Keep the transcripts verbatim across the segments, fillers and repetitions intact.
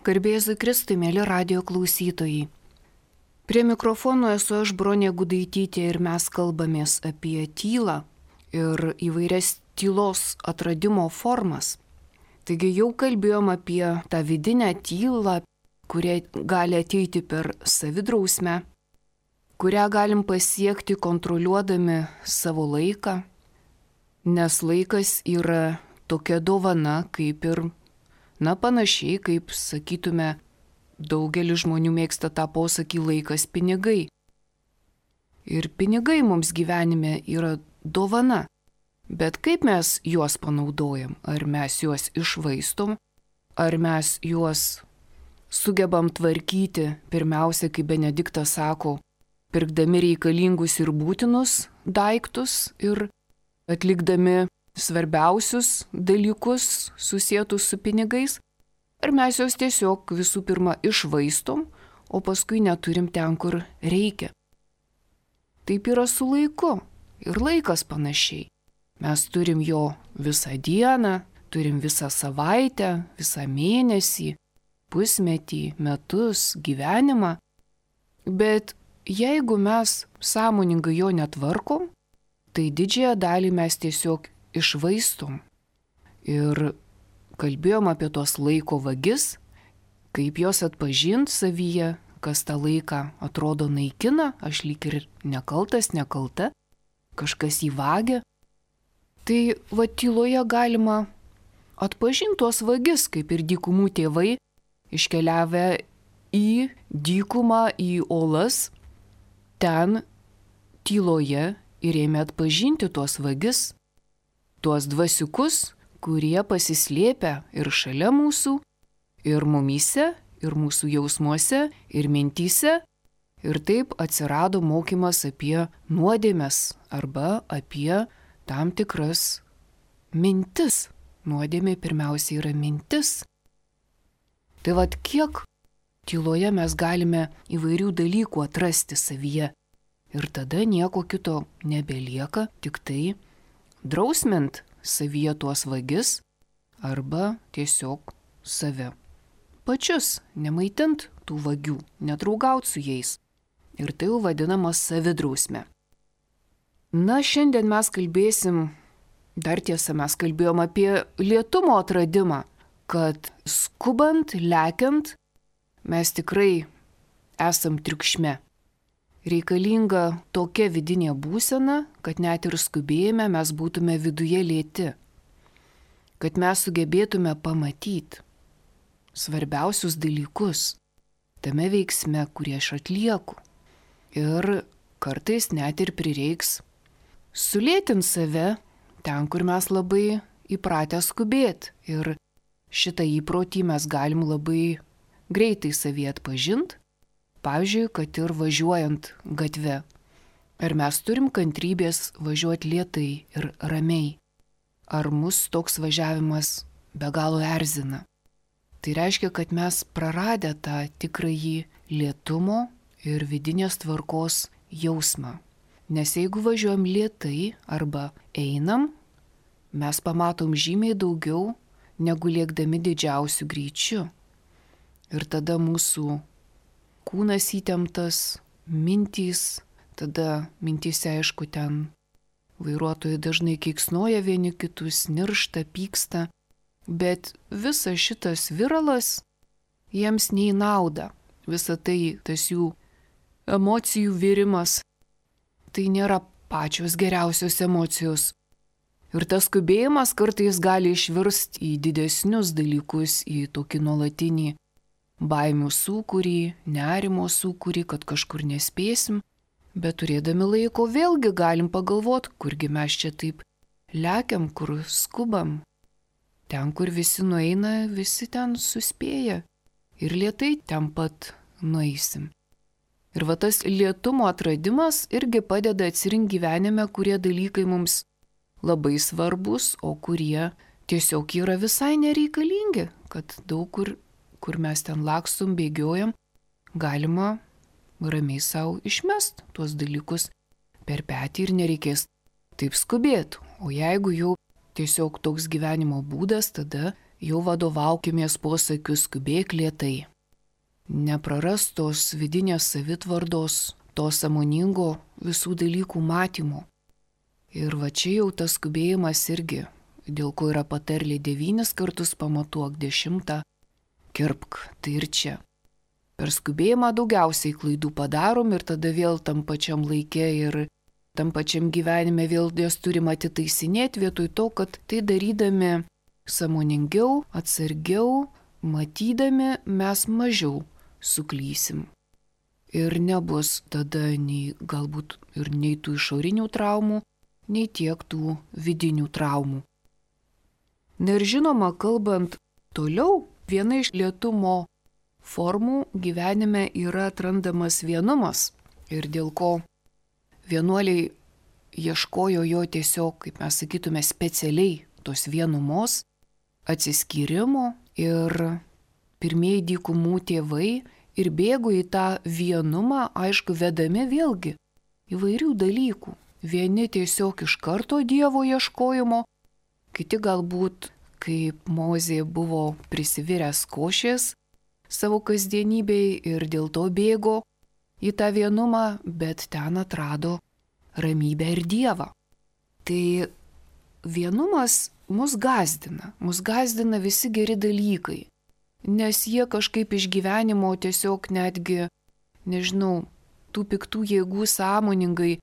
Garbėzui Kristui, mėly radijo klausytojai. Prie mikrofono esu aš, Bronė Gudaitytė, ir mes kalbamės apie tylą ir įvairias tylos atradimo formas. Taigi jau kalbėjom apie tą vidinę tylą, kuria gali ateiti per savidrausmę, kurią galim pasiekti kontroliuodami savo laiką, nes laikas yra tokia dovana, kaip ir Na, panašiai, kaip sakytume, daugelis žmonių mėgsta tą posakį laikas pinigai. Ir pinigai mums gyvenime yra dovana. Bet kaip mes juos panaudojam? Ar mes juos išvaistom? Ar mes juos sugebam tvarkyti, pirmiausia, kaip Benediktas sako, pirkdami reikalingus ir būtinus daiktus ir atlikdami svarbiausius dalykus susietus su pinigais, ar mes juos tiesiog visų pirma išvaistom, o paskui neturim ten, kur reikia. Taip yra su laiku ir laikas panašiai. Mes turim jo visą dieną, turim visą savaitę, visą mėnesį, pusmetį, metus, gyvenimą, bet jeigu mes sąmoningai jo netvarkom, tai didžiąją dalį mes tiesiog išvaistom. Ir kalbėjom apie tos laiko vagis, kaip jos atpažint savyje, kas tą laiką atrodo naikina, aš lyg ir nekaltas, nekalta, kažkas jį vagia. Tai va tyloje galima atpažinti tuos vagis, kaip ir dykumų tėvai, iškeliavę į dykumą, į olas, ten tyloje ir ėmė atpažinti tuos vagis, tuos dvasiukus, kurie pasislėpia ir šalia mūsų, ir mumyse, ir mūsų jausmuose, ir mintyse. Ir taip atsirado mokymas apie nuodėmes arba apie tam tikras mintis. Nuodėmė pirmiausia yra mintis. Tai vad kiek tyloje mes galime įvairių dalykų atrasti savyje. Ir tada nieko kito nebelieka, tik tai drausmint savyje tuos vagis arba tiesiog save pačius, nemaitint tų vagių, nedraugaut su jais. Ir tai jau vadinamas savidrausmė. Na, šiandien mes kalbėsim, dar tiesa, mes kalbėjom apie lėtumo atradimą, kad skubant, lekiant, mes tikrai esam triukšme. Reikalinga tokia vidinė būsena, kad net ir skubėjime mes būtume viduje lėti, kad mes sugebėtume pamatyti svarbiausius dalykus tame veiksme, kurį aš atlieku. Ir kartais net ir prireiks sulėtinti save ten, kur mes labai įpratę skubėti. Ir šitą įprotį mes galim labai greitai savyje atpažinti. Pavyzdžiui, kad ir važiuojant gatve. Ar mes turim kantrybės važiuoti lėtai ir ramiai? Ar mus toks važiavimas be galo erzina? Tai reiškia, kad mes praradę tą tikrąjį lėtumo ir vidinės tvarkos jausmą. Nes jeigu važiuojam lėtai arba einam, mes pamatom žymiai daugiau negu lėkdami didžiausiu greičiu. Ir tada mūsų kūnas įtemptas, mintys, tada mintyse aišku ten vairuotojai dažnai keiksnoja vieni kitus, niršta, pyksta, bet visas šitas viralas jiems nei nauda. Visa tai, tas jų emocijų virimas, tai nėra pačios geriausios emocijos. Ir tas skubėjimas kartais gali išvirsti į didesnius dalykus, į tokį nuolatinį baimių sūkurį, nerimo sūkurį, kad kažkur nespėsim, bet turėdami laiko vėlgi galim pagalvoti, kurgi mes čia taip lekiam, kur skubam. Ten, kur visi nueina, visi ten suspėja ir lėtai ten pat nueisim. Ir va tas lėtumo atradimas irgi padeda atsirinkti gyvenime, kurie dalykai mums labai svarbus, o kurie tiesiog yra visai nereikalingi, kad daug kur kur mes ten lakstum, bėgiojam, galima ramiai savo išmest tuos dalykus per petį ir nereikės taip skubėti. O jeigu jau tiesiog toks gyvenimo būdas, tada jau vadovaukimės posakiu skubėk lėtai. Neprarastos vidinės savitvardos, to sąmoningo visų dalykų matymo. Ir va čia jau tas skubėjimas irgi, dėl ko yra patarlė devynis kartus pamatuok, dešimtą kirpk, tai ir čia. Per skubėjimą daugiausiai klaidų padarom ir tada vėl tam pačiam laike ir tam pačiam gyvenime vėl jas turim atitaisinėti vietoj to, kad tai darydami sąmoningiau, atsargiau, matydami mes mažiau suklysim. Ir nebus tada nei galbūt ir nei tų išorinių traumų, nei tiek tų vidinių traumų. Na ir žinoma, kalbant toliau, viena iš lėtumo formų gyvenime yra atrandamas vienumas ir dėl ko vienuoliai ieškojo jo tiesiog, kaip mes sakytume, specialiai tos vienumos, atsiskyrimo ir pirmieji dykumų tėvai ir bėgo į tą vienumą, aišku, vedami vėlgi įvairių dalykų. Vieni tiesiog iš karto Dievo ieškojimo, kiti galbūt, kaip Mozė buvo prisiviręs košės savo kasdienybei ir dėl to bėgo į tą vienumą, bet ten atrado ramybę ir Dievą. Tai vienumas mus gąsdina, mus gąsdina visi geri dalykai, nes jie kažkaip iš gyvenimo tiesiog netgi, nežinau, tų piktų jėgų sąmoningai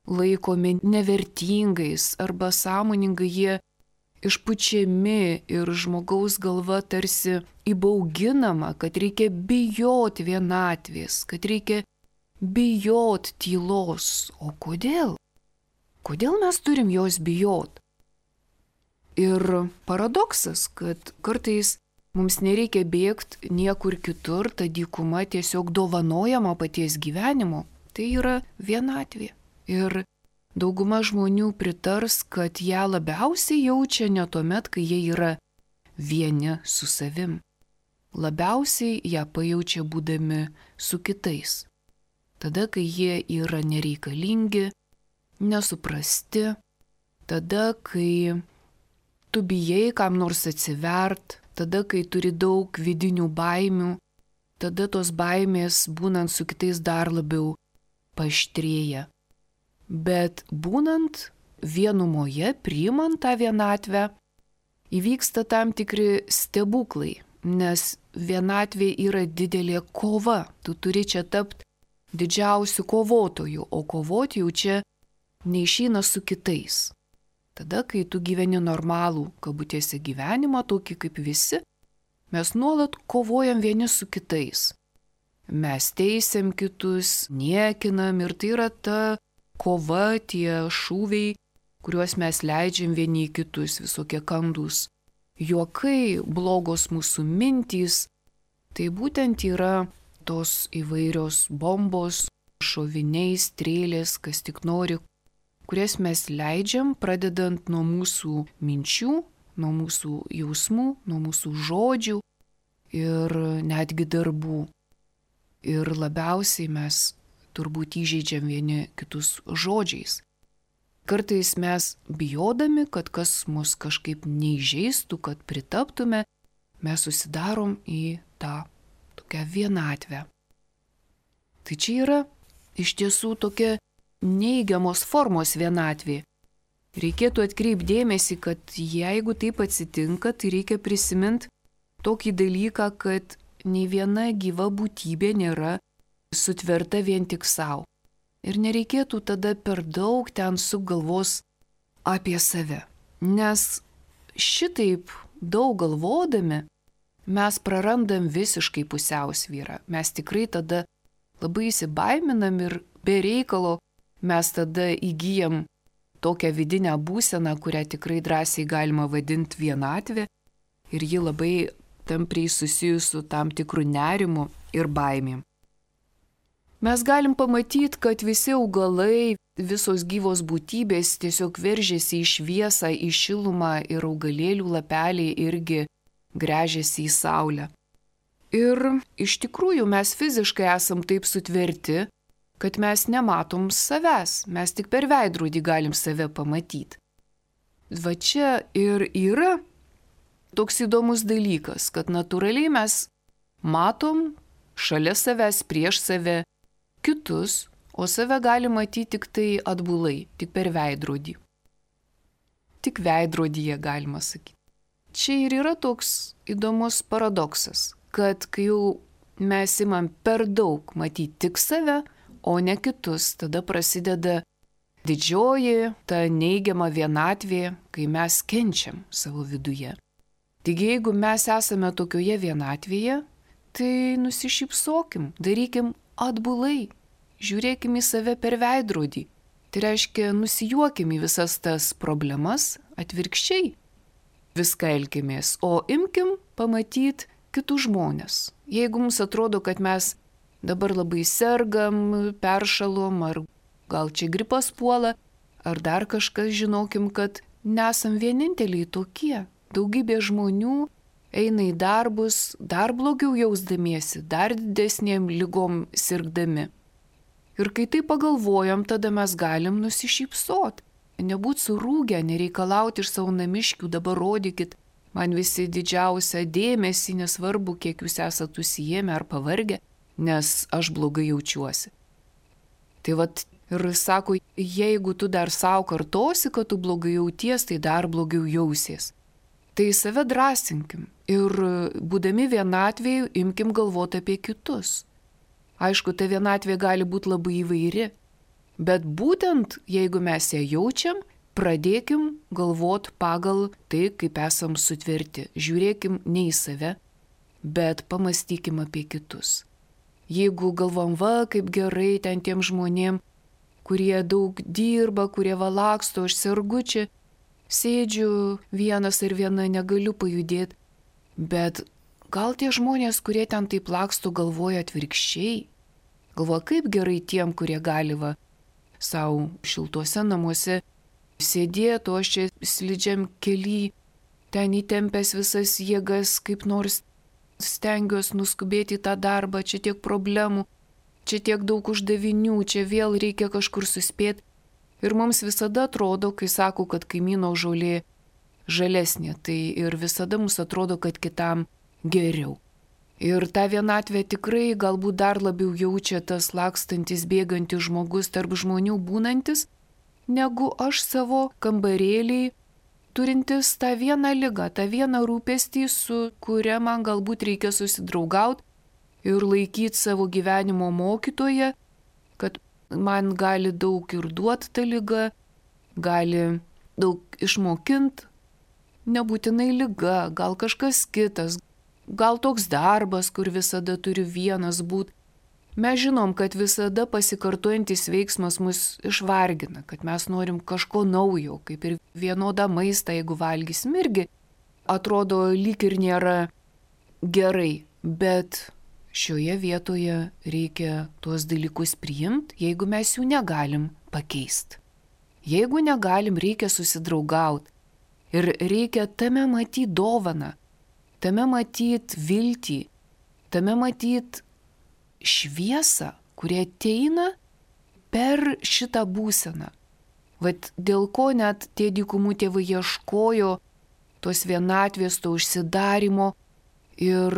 laikomi nevertingais arba sąmoningai jie išpučiami ir žmogaus galva tarsi įbauginama, kad reikia bijoti vienatvės, kad reikia bijoti tylos. O kodėl? Kodėl mes turim jos bijoti? Ir paradoksas, kad kartais mums nereikia bėgti niekur kitur, ta dykuma tiesiog dovanojama paties gyvenimo, tai yra vienatvė. Ir dauguma žmonių pritars, kad ją labiausiai jaučia ne tuomet, kai jie yra vieni su savim. Labiausiai ją pajaučia būdami su kitais. Tada, kai jie yra nereikalingi, nesuprasti, tada, kai tu bijai kam nors atsivert, tada, kai turi daug vidinių baimių, tada tos baimės būnant su kitais dar labiau paaštrėja. Bet būnant vienumoje, priimant tą vienatvę, įvyksta tam tikri stebuklai, nes vienatvė yra didelė kova. Tu turi čia tapti didžiausiu kovotoju, o kovoti jau čia neišeina su kitais. Tada, kai tu gyveni normalų, kabutėse gyvenimą, tokį kaip visi, mes nuolat kovojam vieni su kitais. Mes teisiam kitus, niekinam ir tai yra ta kova, tie šūviai, kuriuos mes leidžiam vieni į kitus, visokie kandūs juokai, blogos mūsų mintys. Tai būtent yra tos įvairios bombos, šoviniai, strėlės, kas tik nori, kurias mes leidžiam, pradedant nuo mūsų minčių, nuo mūsų jausmų, nuo mūsų žodžių ir netgi darbų. Ir labiausiai mes turbūt įžeidžiam vieni kitus žodžiais. Kartais mes bijodami, kad kas mus kažkaip neįžeistų, kad pritaptume, mes susidarom į tą tokią vienatvę. Tai čia yra iš tiesų tokia neigiamos formos vienatvė. Reikėtų atkreipti dėmesį, kad jeigu taip atsitinka, tai reikia prisiminti tokį dalyką, kad nei viena gyva būtybė nėra sutverta vien tik savo. Ir nereikėtų tada per daug ten sugalvos apie save. Nes šitaip daug galvodami mes prarandam visiškai pusiausvyrą. Mes tikrai tada labai įsibaiminam ir be reikalo mes tada įgyjam tokią vidinę būseną, kurią tikrai drąsiai galima vadinti vienatvė. Ir ji labai tampriai susijus su tam tikru nerimu ir baimėm. Mes galim pamatyti, kad visi augalai, visos gyvos būtybės tiesiog veržėsi į šviesą, į šilumą ir augalėlių lapeliai irgi gręžiasi į saulę. Ir iš tikrųjų mes fiziškai esam taip sutverti, kad mes nematom savęs, mes tik per veidrodį galim save pamatyti. Va čia ir yra toks įdomus dalykas, kad natūraliai mes matom šalia savęs, prieš save kitus, o save gali matyti tik tai atbulai, tik per veidrodį. Tik veidrodyje galima sakyti. Čia ir yra toks įdomus paradoksas, kad kai jau mes imam per daug matyti tik save, o ne kitus, tada prasideda didžioji ta neigiama vienatvė, kai mes kenčiam savo viduje. Taigi jeigu mes esame tokioje vienatvėje, tai nusišypsokim, darykim atbulai, žiūrėkim į save per veidrodį. Tai reiškia, nusijuokim į visas tas problemas, atvirkščiai viską elkimės, o imkim pamatyti kitus žmonės. Jeigu mums atrodo, kad mes dabar labai sergam, peršalom, ar gal čia gripas puola, ar dar kažkas, žinokim, kad nesam vieninteliai tokie. Daugybė žmonių eina į darbus, dar blogiau jausdamiesi, dar didesnėm lygom sirgdami. Ir kai tai pagalvojam, tada mes galim nusišypsot. Nebūt surūgę, nereikalauti iš savo namiškių, dabar rodykit man visi didžiausią dėmesį, nesvarbu, kiek jūs esate užsiėmę ar pavargę, nes aš blogai jaučiuosi. Tai vat ir sako, jeigu tu dar savo kartosi, kad tu blogai jauties, tai dar blogiau jausies. Tai save drąsinkim ir būdami vienatvėje imkim galvoti apie kitus. Aišku, ta vienatvė gali būti labai įvairi, bet būtent jeigu mes ją jaučiam, pradėkim galvoti pagal tai, kaip esam sutverti. Žiūrėkim ne į save, bet pamastykim apie kitus. Jeigu galvom, va, kaip gerai ten tiem žmonėm, kurie daug dirba, kurie valaksto, aš sergu čia, sėdžiu vienas ir viena, negaliu pajudėti, bet gal tie žmonės, kurie ten taip laksto, galvoja atvirkščiai. Galvoja, kaip gerai tiem, kurie gali va savo šiltuose namuose sėdėti, o aš čia slidžiam kely, ten įtempęs visas jėgas, kaip nors stengiuosi nuskubėti į tą darbą, čia tiek problemų, čia tiek daug uždavinių, čia vėl reikia kažkur suspėti. Ir mums visada atrodo, kai sako, kad kaimyno žolė žalesnė, tai ir visada mums atrodo, kad kitam geriau. Ir tą vienatvę tikrai galbūt dar labiau jaučia tas lakstantis, bėgantis žmogus tarp žmonių būnantis, negu aš savo kambarėlį turintis tą vieną ligą, tą vieną rūpestį, su kuria man galbūt reikia susidraugauti ir laikyti savo gyvenimo mokytoje, kad man gali daug ir duoti tą ligą, gali daug išmokinti, nebūtinai liga, gal kažkas kitas, gal toks darbas, kur visada turiu vienas būti. Mes žinom, kad visada pasikartojantis veiksmas mus išvargina, kad mes norim kažko naujo, kaip ir vienodą maistą, jeigu valgysim irgi, atrodo lyg ir nėra gerai, bet šioje vietoje reikia tuos dalykus priimti, jeigu mes jų negalim pakeisti. Jeigu negalim, reikia susidraugauti. Ir reikia tame matyti dovaną, tame matyti viltį, tame matyti šviesą, kurie ateina per šitą būseną. Vat dėl ko net tie dykumų tėvai ieškojo tos vienatvės, to užsidarimo ir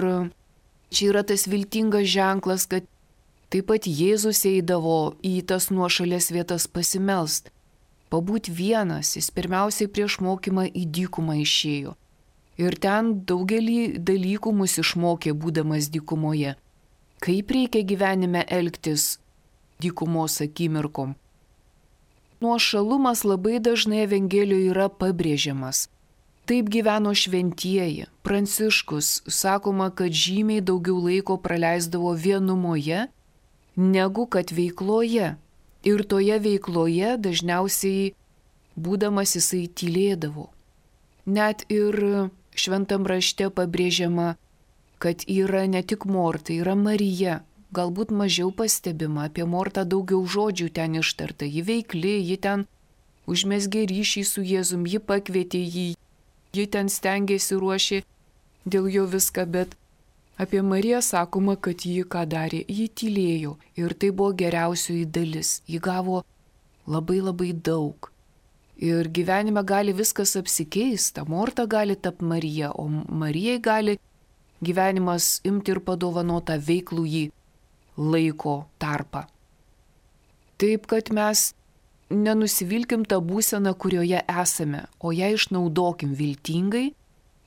čia yra tas viltingas ženklas, kad taip pat Jėzus eidavo į tas nuošalės vietas pasimelst. Pabūt vienas, jis pirmiausiai prieš mokymą į dykumą išėjo. Ir ten daugelį dalykų mus išmokė, būdamas dykumoje. Kaip reikia gyvenime elgtis dykumos akimirkom. Nuošalumas labai dažnai Evangelijoje yra pabrėžiamas. Taip gyveno šventieji. Pranciškus sakoma, kad žymiai daugiau laiko praleisdavo vienumoje, negu kad veikloje. Ir toje veikloje dažniausiai būdamas jisai tylėdavo. Net ir šventam rašte pabrėžiama, kad yra ne tik Morta, yra Marija. Galbūt mažiau pastebima, apie Mortą daugiau žodžių ten ištarta. Ji veikli, ji ten užmezgė ryšį su Jėzum, ji pakvietė jį, ji ten stengėsi, ruošė dėl jo viską, bet apie Mariją sakoma, kad ji ką darė, ji tylėjo ir tai buvo geriausioji dalis. Ji gavo labai labai daug. Ir gyvenime gali viskas apsikeisti. Morta gali tapti Marija, o Marijai gali gyvenimas imti ir padovanotą veiklų jį laiko tarpą. Taip, kad mes nenusivilkim tą būseną, kurioje esame, o ją išnaudokim viltingai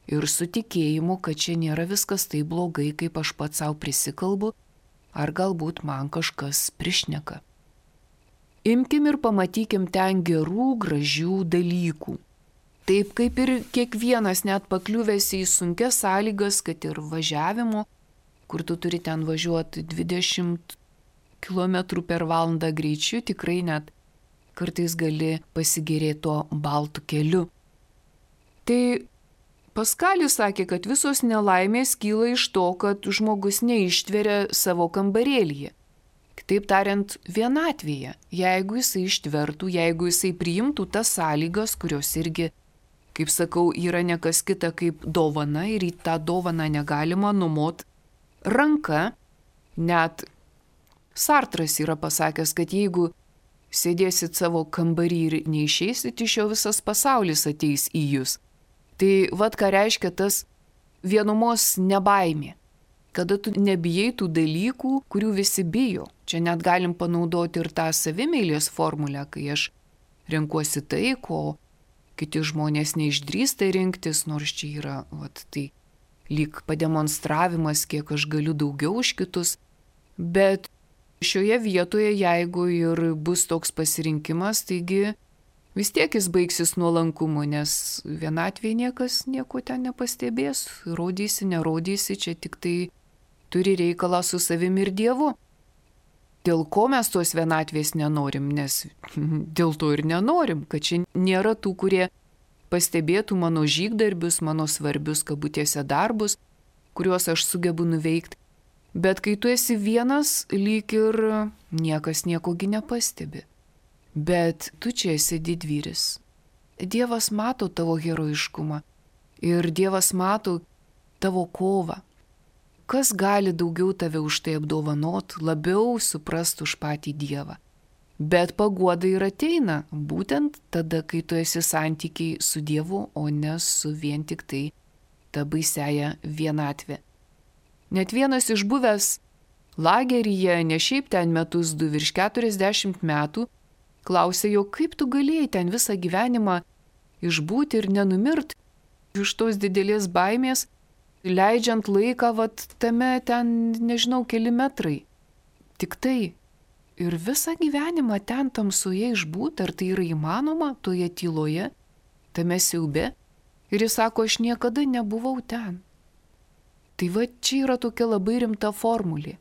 ir su tikėjimu, kad čia nėra viskas taip blogai, kaip aš pats savo prisikalbu, ar galbūt man kažkas prišneka. Imkim ir pamatykim ten gerų, gražių dalykų. Taip kaip ir kiekvienas net pakliuvęs į sunkias sąlygas, kad ir važiavimo, kur tu turi ten važiuoti dvidešimt kilometrų per valandą greičiu, tikrai net kartais gali pasigėrėti tuo baltu keliu. Tai Paskalis sakė, kad visos nelaimės kyla iš to, kad žmogus neištveria savo kambarėlyje. Kitaip tariant, vienatvėje, jeigu jisai ištvertų, jeigu jisai priimtų tas sąlygas, kurios irgi, kaip sakau, yra nekas kita kaip dovana ir į tą dovaną negalima numot ranka. Net Sartras yra pasakęs, kad jeigu sėdėsit savo kambarį ir neišeisit, iš jo visas pasaulis ateis į jūs. Tai vad ką reiškia tas vienumos nebaimė. Kada tu nebijai tų dalykų, kurių visi bijo. Čia net galim panaudoti ir tą savimeilės formulę, kai aš renkuosi tai, ko kiti žmonės neišdrįsta rinktis, nors čia yra, vat, tai lyg pademonstravimas, kiek aš galiu daugiau už kitus. Bet šioje vietoje, jeigu ir bus toks pasirinkimas, taigi vis tiek jis baigsis nuolankumu, nes vienatvėje niekas nieko ten nepastebės, rodysi, nerodysi, čia tik tai turi reikalą su savimi ir Dievu. Dėl ko mes tos vienatvės nenorim, nes dėl to ir nenorim, kad čia nėra tų, kurie pastebėtų mano žygdarbius, mano svarbius kabutėse darbus, kuriuos aš sugebu nuveikti. Bet kai tu esi vienas, lyg ir niekas niekogi nepastebi. Bet tu čia esi didvyris. Dievas mato tavo herojiškumą ir Dievas mato tavo kovą. Kas gali daugiau tave už tai apdovanot, labiau suprast už patį Dievą. Bet paguoda ir ateina būtent tada, kai tu esi santykiai su Dievu, o ne su vien tik tai ta baisiaja vienatvė. Net vienas išbuvęs lageryje, ne šiaip ten metus du, virš keturiasdešimt metų, klausė jo, kaip tu galėjai ten visą gyvenimą išbūti ir nenumirt iš tos didelės baimės, leidžiant laiką, vat tame ten, nežinau, keli metrai. Tik tai. Ir visą gyvenimą ten tamsoje išbūti, ar tai yra įmanoma, toje tyloje, tame siaube. Ir jis sako, aš niekada nebuvau ten. Tai va čia yra tokia labai rimta formulė.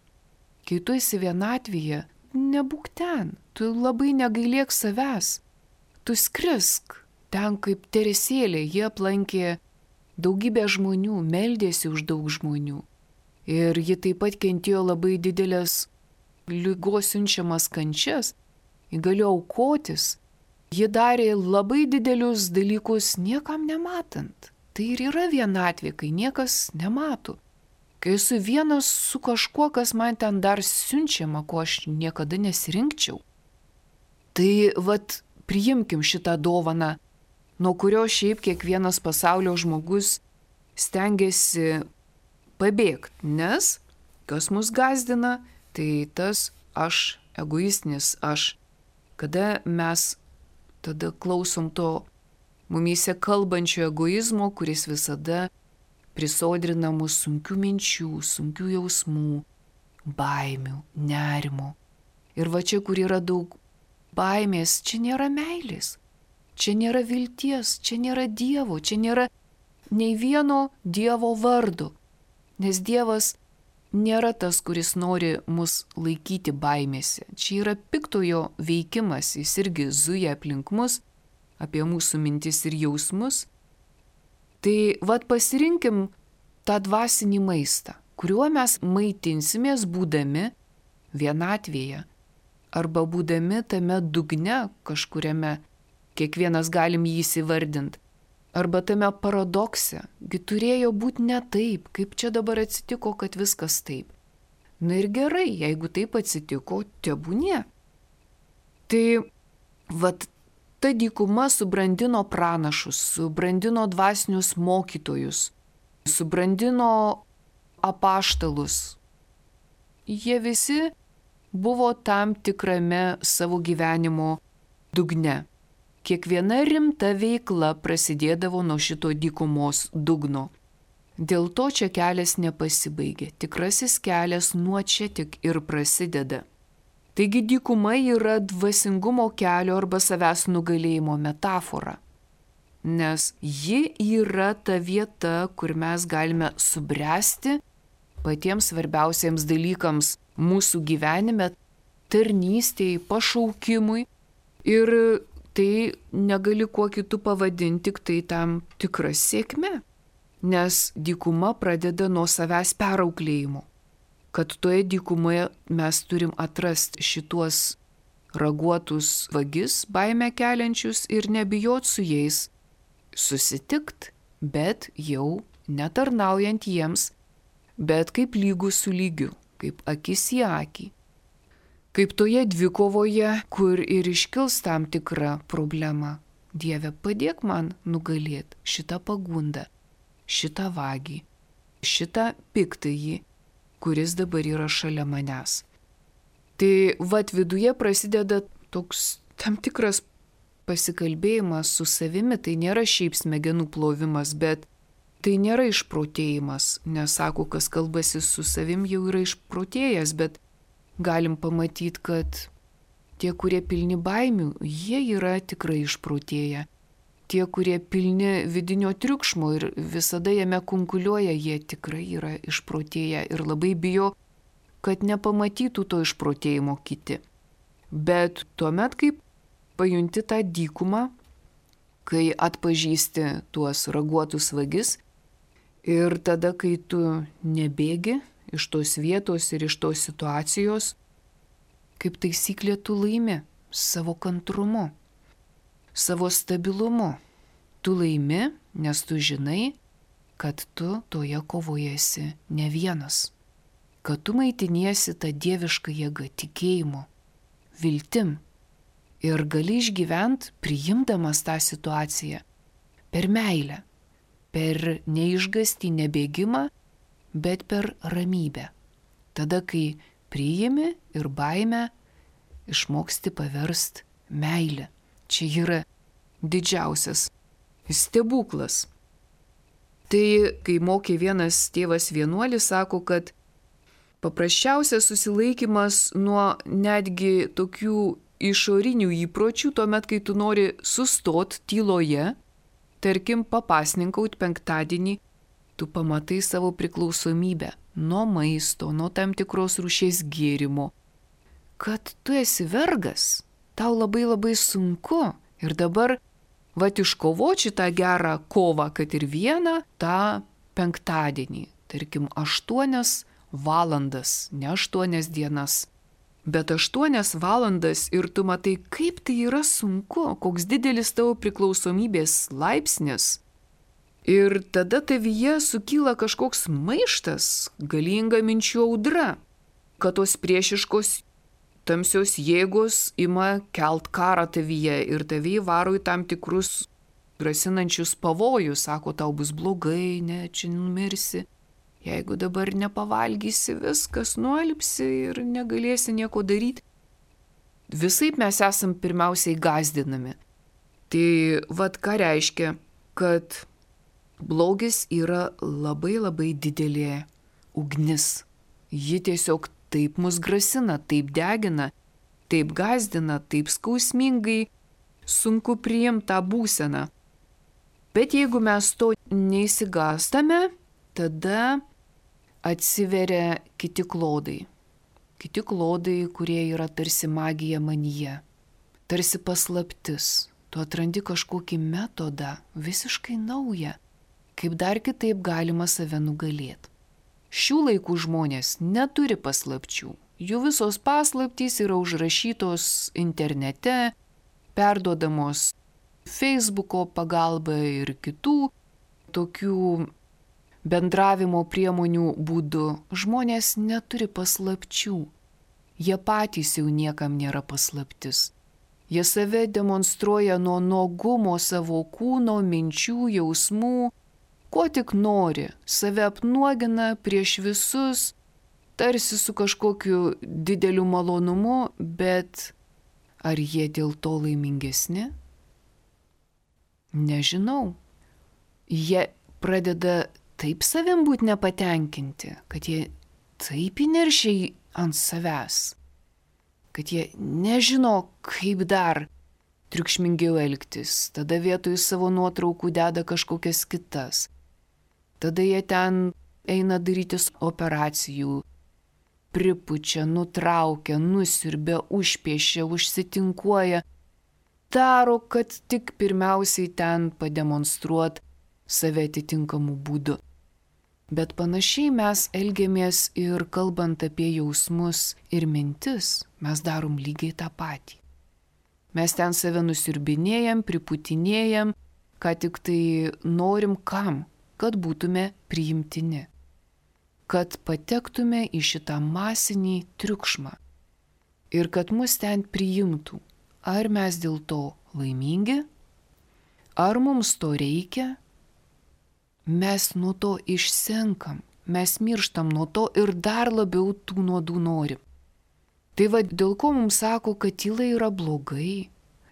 Kai tu esi vienatvėje, nebūk ten. Tu labai negailėk savęs. Tu skrisk. Ten kaip Teresėlė, jie aplankė daugybę žmonių, meldėsi už daug žmonių. Ir ji taip pat kentėjo labai didelės ligos siunčiamas kančias, ji galėjo aukotis. Ji darė labai didelius dalykus niekam nematant. Tai ir yra vienatvė, kai niekas nemato. Kai esu vienas su kažkuo, kas man ten dar siunčiama, ko aš niekada nesirinkčiau. Tai vat priimkim šitą dovaną, nuo kurio šiaip kiekvienas pasaulio žmogus stengiasi pabėgti, nes kas mus gazdina, tai tas aš, egoistinis aš. Kada mes tada klausom to mumyse kalbančio egoizmo, kuris visada prisodrina mus sunkių minčių, sunkių jausmų, baimių, nerimo. Ir va čia, kur yra daug baimės, čia nėra meilės. Čia nėra vilties, čia nėra Dievo, čia nėra nei vieno Dievo vardo. Nes Dievas nėra tas, kuris nori mus laikyti baimėse. Čia yra piktojo veikimas, jis irgi zuja aplink mus, apie mūsų mintis ir jausmus. Tai vad pasirinkim tą dvasinį maistą, kuriuo mes maitinsimės būdami vienatvėje arba būdami tame dugne kažkuriame. Kiekvienas galim jį įsivardinti. Arba tame paradokse, gi turėjo būti ne taip, kaip čia dabar atsitiko, kad viskas taip. Na ir gerai, jeigu taip atsitiko, tebūnie. Tai vat Ta dykuma subrandino pranašus, subrandino dvasinius mokytojus, subrandino apaštalus. Jie visi buvo tam tikrame savo gyvenimo dugne. Kiekviena rimta veikla prasidėdavo nuo šito dykumos dugno. Dėl to čia kelias nepasibaigė. Tikrasis kelias nuo čia tik ir prasideda. Taigi dykuma yra dvasingumo kelio arba savęs nugalėjimo metafora. Nes ji yra ta vieta, kur mes galime subręsti patiems svarbiausiems dalykams mūsų gyvenime, tarnystėj, pašaukimui. Ir tai negali kuo kitų pavadinti, tik tai tam tikra sėkmė. Nes dykuma pradeda nuo savęs perauklėjimo. Kad toje dykumoje mes turim atrasti šituos raguotus vagis, baimę keliančius ir nebijot su jais susitikt, bet jau netarnaujant jiems, bet kaip lygus su lygiu, kaip akis į akį. Kaip toje dvikovoje, kur ir iškils tam tikrą problemą. Dieve, padėk man nugalėti šitą pagundą, šitą vagį, šitą piktąjį, kuris dabar yra šalia manęs. Tai vat viduje prasideda toks tam tikras pasikalbėjimas su savimi, tai nėra šiaip smegenų plovimas, bet tai nėra išprotėjimas, nes sako, kas kalbasi su savim jau yra išprotėjęs, bet galim pamatyti, kad tie, kurie pilni baimių, jie yra tikrai išprotėję. Tie, kurie pilni vidinio triukšmo ir visada jame kunkuliuoja, jie tikrai yra išprotėję ir labai bijo, kad nepamatytų to išprotėjimo kiti. Bet tuomet, kai pajunti tą dykumą, kai atpažįsti tuos raguotus vagis ir tada, kai tu nebėgi iš tos vietos ir iš tos situacijos, kaip taisyklė tu laimi savo kantrumu, savo stabilumu. Tu laimi, nes tu žinai, kad tu toje kovoje esi ne vienas, kad tu maitiniesi tą dievišką jėgą, tikėjimu, viltim ir gali išgyventi, priimdamas tą situaciją per meilę, per neišgąstį, nebėgimą, bet per ramybę. Tada, kai priimi ir baimę, išmoksti paversti meilę. Čia yra didžiausias stebuklas. Tai, kai mokė vienas tėvas vienuolis, sako, kad paprasčiausias susilaikimas nuo netgi tokių išorinių įpročių, tuomet, kai tu nori sustot tyloje, tarkim, papasninkaut penktadienį, tu pamatai savo priklausomybę nuo maisto, nuo tam tikros rūšies gėrimo, kad tu esi vergas, tau labai labai sunku ir dabar vat iškovoči tą gerą kovą, kad ir vieną tą penktadienį, tarkim, aštuonias valandas, ne aštuonias dienas, bet aštuonias valandas ir tu matai, kaip tai yra sunku, koks didelis tavo priklausomybės laipsnis. Ir tada tavyje sukyla kažkoks maištas, galinga minčių audra, kad tos priešiškos tamsios jėgos ima kelt karą tavyje ir tavyje varo į tam tikrus grasinančius pavojus, sako, tau bus blogai, ne, čia numirsi. Jeigu dabar nepavalgysi, viskas nualpsi ir negalėsi nieko daryti. Visaip mes esam pirmiausiai gąsdinami. Tai vat ką reiškia, kad blogis yra labai labai didelė ugnis. Ji tiesiog taip mus grasina, taip degina, taip gąsdina, taip skausmingai, sunku priimti tą būseną. Bet jeigu mes to neįsigąstame, tada atsiveria kiti klodai. Kiti klodai, kurie yra tarsi magija manyje, tarsi paslaptis. Tu atrandi kažkokį metodą, visiškai naują, kaip dar kitaip galima save nugalėti. Šių laikų žmonės neturi paslapčių. Jų visos paslaptys yra užrašytos internete, perduodamos Facebooko pagalba ir kitų tokių bendravimo priemonių būdu. Žmonės neturi paslapčių. Jie patys jau niekam nėra paslaptis. Jie save demonstruoja nuo nuogumo savo kūno, minčių, jausmų, ko tik nori. Save apnuogina prieš visus, tarsi su kažkokiu dideliu malonumu, bet ar jie dėl to laimingesni? Nežinau. Jie pradeda taip savim būti nepatenkinti, kad jie taip įniršiai ant savęs, kad jie nežino, kaip dar triukšmingiau elgtis. Tada vietoj savo nuotraukų deda kažkokias kitas. Tada jie ten eina darytis operacijų, pripučia, nutraukia, nusiurbia, užpiešia, užsitinkuoja. Daro, kad tik pirmiausiai ten pademonstruot save atitinkamų būdų. Bet panašiai mes elgiamės ir kalbant apie jausmus ir mintis, mes darom lygiai tą patį. Mes ten save nusiurbinėjam, priputinėjam, ką tik tai norim kam, kad būtume priimtini, kad patektume į šitą masinį triukšmą ir kad mus ten priimtų. Ar mes dėl to laimingi? Ar mums to reikia? Mes nuo to išsenkam, mes mirštam nuo to ir dar labiau tų nuodų norim. Tai va, dėl ko mums sako, kad tyla yra blogai,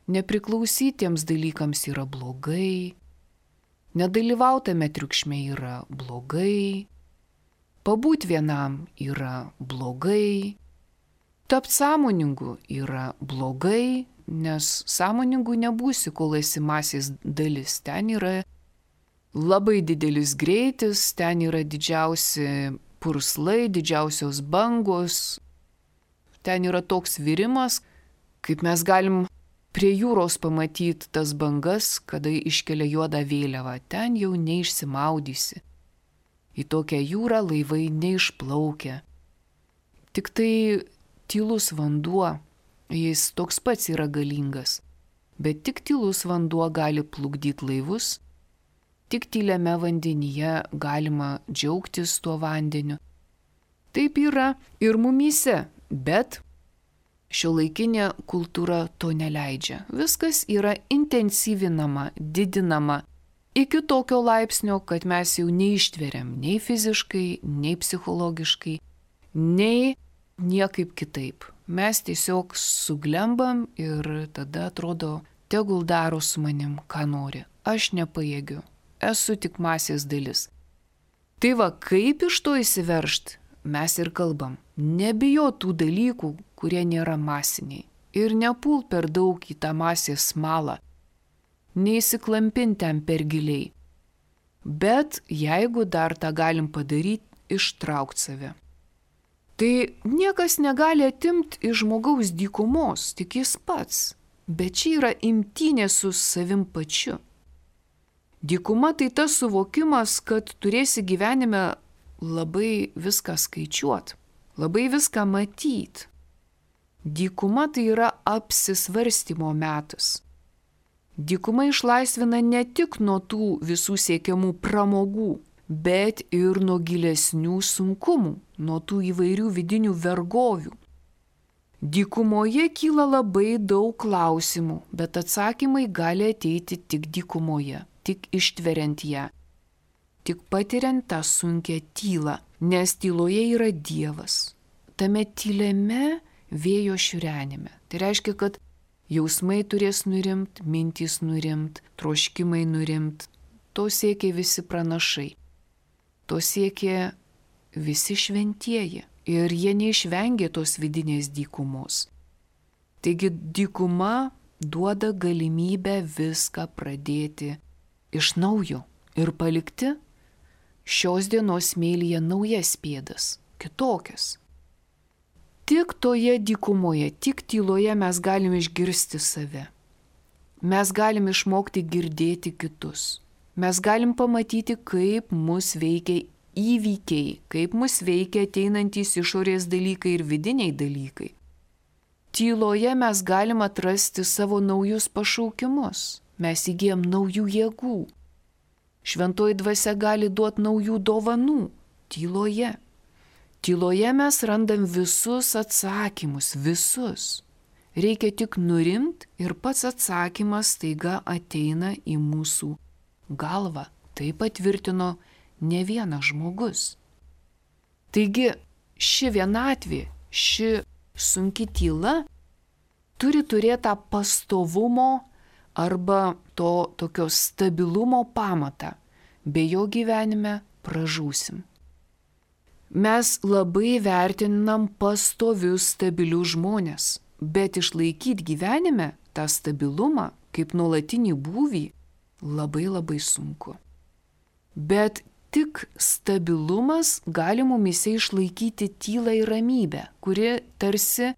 nepriklausytiems dalykams yra blogai, nedalyvautame triukšme yra blogai, pabūt vienam yra blogai, tapt sąmoningu yra blogai, nes sąmoningu nebūsi, kol esi masės dalis. Ten yra labai didelis greitis, ten yra didžiausi purslai, didžiausios bangos, ten yra toks virimas, kaip mes galim prie jūros pamatyti tas bangas, kada iškelia juodą vėliavą, ten jau neišsimaudysi. Į tokią jūrą laivai neišplaukia. Tik tai tylus vanduo, jis toks pats yra galingas, bet tik tylus vanduo gali plukdyti laivus. Tik tyliame vandenyje galima džiaugtis tuo vandeniu. Taip yra ir mumyse, bet šiuolaikinė kultūra to neleidžia. Viskas yra intensyvinama, didinama iki tokio laipsnio, kad mes jau neištveriam nei fiziškai, nei psichologiškai, nei niekaip kitaip. Mes tiesiog suglembam ir tada atrodo, tegul daro su manim, ką nori. Aš nepajėgiu. Esu tik masės dalis. Tai va, kaip iš to įsiveršt, mes ir kalbam. Nebijo tų dalykų, kurie nėra masiniai. Ir nepult per daug į tą masės smalą. Neįsiklampint ten per giliai. Bet jeigu dar tą galim padaryti, ištraukt save. Tai niekas negali atimti iš žmogaus dykumos, tik jis pats. Bet čia yra imtynė su savim pačiu. Dykuma tai tas suvokimas, kad turėsi gyvenime labai viską skaičiuot, labai viską matyt. Dykuma tai yra apsisvarstymo metas. Dykuma išlaisvina ne tik nuo tų visų siekiamų pramogų, bet ir nuo gilesnių sunkumų, nuo tų įvairių vidinių vergovių. Dykumoje kyla labai daug klausimų, bet atsakymai gali ateiti tik dykumoje. Tik ištveriant ją, tik patiriant tą sunkią tylą, nes tyloje yra Dievas. Tame tyliame vėjo šiurenime. Tai reiškia, kad jausmai turės nurimt, mintys nurimt, troškimai nurimt. To siekia visi pranašai. To siekia visi šventieji. Ir jie neišvengė tos vidinės dykumos. Taigi dykuma duoda galimybę viską pradėti iš naujo ir palikti šios dienos smėlyje naujas pėdas, kitokias. Tik toje dykumoje, tik tyloje mes galime išgirsti save. Mes galime išmokti girdėti kitus. Mes galim pamatyti, kaip mus veikia įvykiai, kaip mus veikia ateinantys išorės dalykai ir vidiniai dalykai. Tyloje mes galim atrasti savo naujus pašaukimus. Mes įgijam naujų jėgų. Šventoji dvasia gali duoti naujų dovanų. Tyloje. Tyloje mes randam visus atsakymus, visus. Reikia tik nurimti ir pats atsakymas staiga ateina į mūsų galvą. Tai patvirtino ne vienas žmogus. Taigi ši vienatvė, ši sunki tyla turi turėti tą pastovumo arba to tokio stabilumo pamatą. Be jo gyvenime pražūsim. Mes labai vertinam pastovius stabilius žmonės, bet išlaikyti gyvenime tą stabilumą kaip nuolatinį būvį labai labai sunku. Bet tik stabilumas gali mumise išlaikyti tylą ir ramybę, kuri tarsi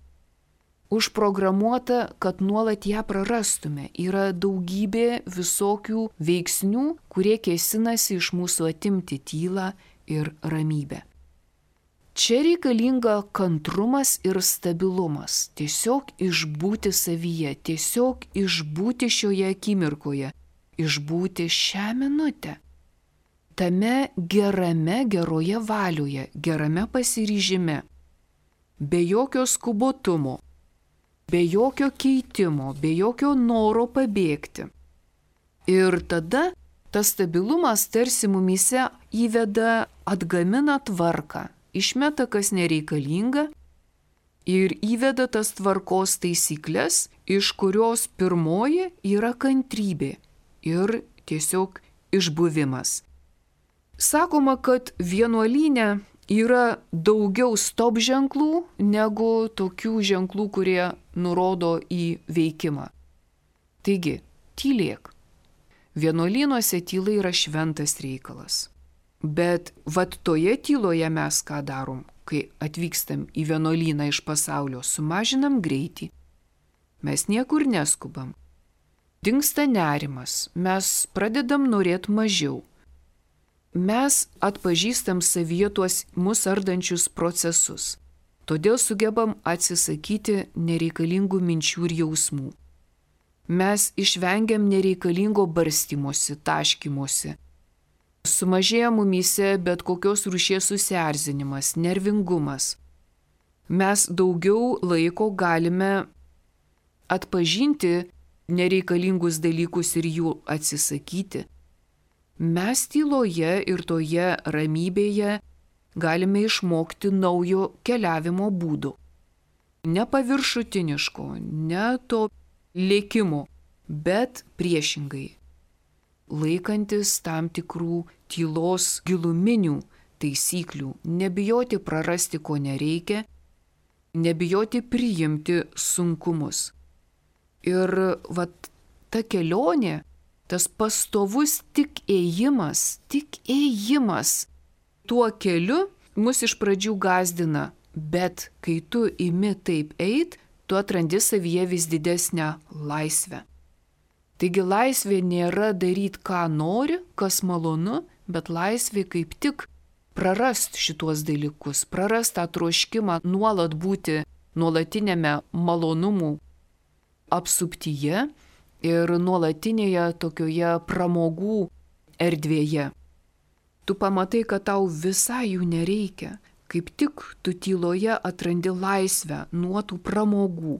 užprogramuota, kad nuolat ją prarastume. Yra daugybė visokių veiksnių, kurie kėsinasi iš mūsų atimti tylą ir ramybę. Čia reikalinga kantrumas ir stabilumas. Tiesiog išbūti savyje, tiesiog išbūti šioje akimirkoje, išbūti šią minutę. Tame gerame, geroje valioje, gerame pasiryžime, be jokio skubotumo, be jokio keitimo, be jokio noro pabėgti. Ir tada tas stabilumas tarsi mumise įveda, atgamina tvarką, išmeta kas nereikalinga ir įveda tas tvarkos taisyklės, iš kurios pirmoji yra kantrybė ir tiesiog išbuvimas. Sakoma, kad vienuolyne yra daugiau stop ženklų negu tokių ženklų, kurie nurodo į veikimą. Taigi, tylėk. Vienuolynuose tyla yra šventas reikalas. Bet vat toje tyloje mes ką darom, kai atvykstam į vienuolyną iš pasaulio, sumažinam greitį. Mes niekur neskubam. Dingsta nerimas, mes pradedam norėti mažiau. Mes atpažįstam savyje tuos mus ardančius procesus. Todėl sugebam atsisakyti nereikalingų minčių ir jausmų. Mes išvengiam nereikalingo barstymosi, taškymosi. Sumažėja mumyse bet kokios rūšies susierzinimas, nervingumas. Mes daugiau laiko galime atpažinti nereikalingus dalykus ir jų atsisakyti. Mes tyloje ir toje ramybėje galime išmokti naujo keliavimo būdų. Ne paviršutiniško, ne to lėkimo, bet priešingai. Laikantis tam tikrų tylos giluminių taisyklių, nebijoti prarasti, ko nereikia, nebijoti priimti sunkumus. Ir vat ta kelionė, tas pastovus tik ėjimas, tik ėjimas tuo keliu mus iš pradžių gąsdina, bet kai tu imi taip eit, tu atrandi savyje vis didesnę laisvę. Taigi laisvė nėra daryti, ką nori, kas malonu, bet laisvė kaip tik prarast šituos dalykus, prarast tą troškimą nuolat būti nuolatinėme malonumų apsuptyje ir nuolatinėje tokioje pramogų erdvėje. Tu pamatai, kad tau visai jų nereikia, kaip tik tu tyloje atrandi laisvę nuo tų pramogų,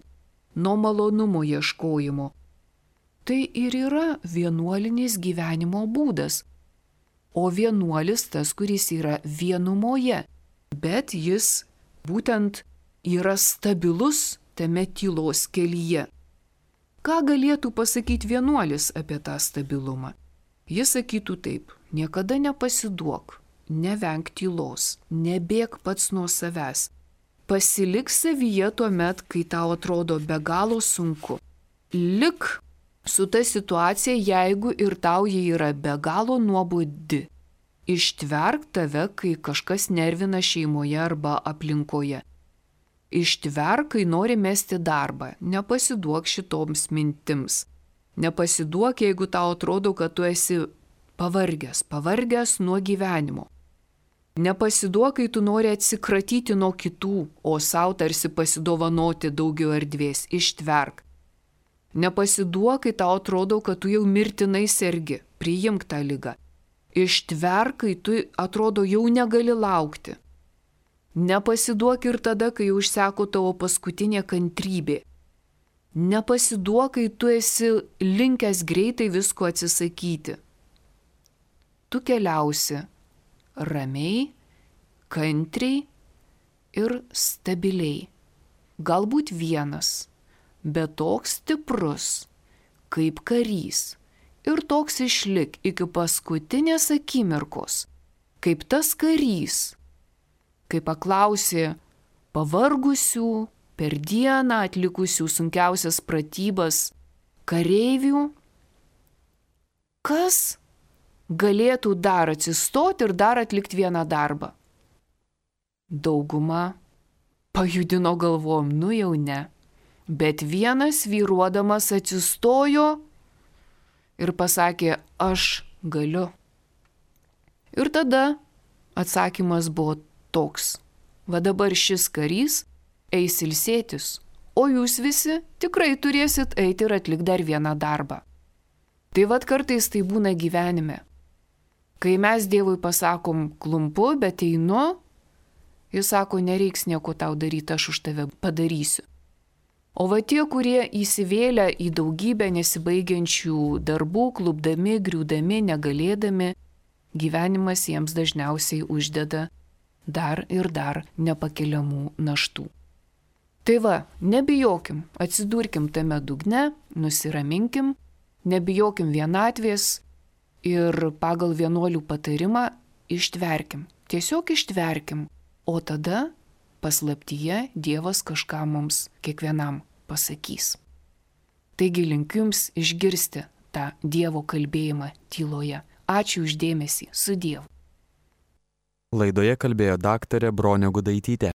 nuo malonumo ieškojimo. Tai ir yra vienuolinis gyvenimo būdas. O vienuolis tas, kuris yra vienumoje, bet jis būtent yra stabilus tame tylos kelyje. Ką galėtų pasakyti vienuolis apie tą stabilumą? Jis sakytų taip: niekada nepasiduok, nevenk tylos, nebėk pats nuo savęs. Pasilik savyje tuomet, kai tau atrodo be galo sunku. Lik su ta situacija, jeigu ir tau ji yra be galo nuobodi. Ištverk tave, kai kažkas nervina šeimoje arba aplinkoje. Ištverk, kai nori mesti darbą, nepasiduok šitoms mintims. Nepasiduok, jeigu tau atrodo, kad tu esi pavargęs, pavargęs nuo gyvenimo. Nepasiduok, kai tu nori atsikratyti nuo kitų, o sau tarsi pasidovanoti daugiau erdvės. Ištverk. Nepasiduok, kai tau atrodo, kad tu jau mirtinai sergi, priimk tą ligą. Ištverk, kai tu atrodo jau negali laukti. Nepasiduok ir tada, kai užseko tavo paskutinė kantrybė. Nepasiduok, kai tu esi linkęs greitai visko atsisakyti. Tu keliausi ramiai, kantriai ir stabiliai. Galbūt vienas, bet toks stiprus, kaip karys. Ir toks išlik iki paskutinės akimirkos, kaip tas karys, kai paklausė pavargusių, per dieną atlikusių sunkiausias pratybas kareivių, kas galėtų dar atsistoti ir dar atlikti vieną darbą. Dauguma pajudino galvom, nu jau ne, bet vienas vyruodamas atsistojo ir pasakė, aš galiu. Ir tada atsakymas buvo toks, va dabar šis karys eis ilsėtis, o jūs visi tikrai turėsit eiti ir atlikti dar vieną darbą. Tai vad kartais tai būna gyvenime. Kai mes Dievui pasakom klumpu, bet einu, jis sako, nereiks nieko tau daryti, aš už tave padarysiu. O va tie, kurie įsivėlę į daugybę nesibaigiančių darbų, klupdami, griūdami, negalėdami, gyvenimas jiems dažniausiai uždeda dar ir dar nepakeliamų naštų. Tai va, nebijokim, atsidurkim tame dugne, nusiraminkim, nebijokim vienatvės ir pagal vienuolių patarimą ištverkim. Tiesiog ištverkim, o tada paslaptyje Dievas kažką mums kiekvienam pasakys. Taigi linkiu jums išgirsti tą Dievo kalbėjimą tyloje. Ačiū už dėmesį, su Dievu. Laidoje kalbėjo daktarė Bronė Gudaitytė.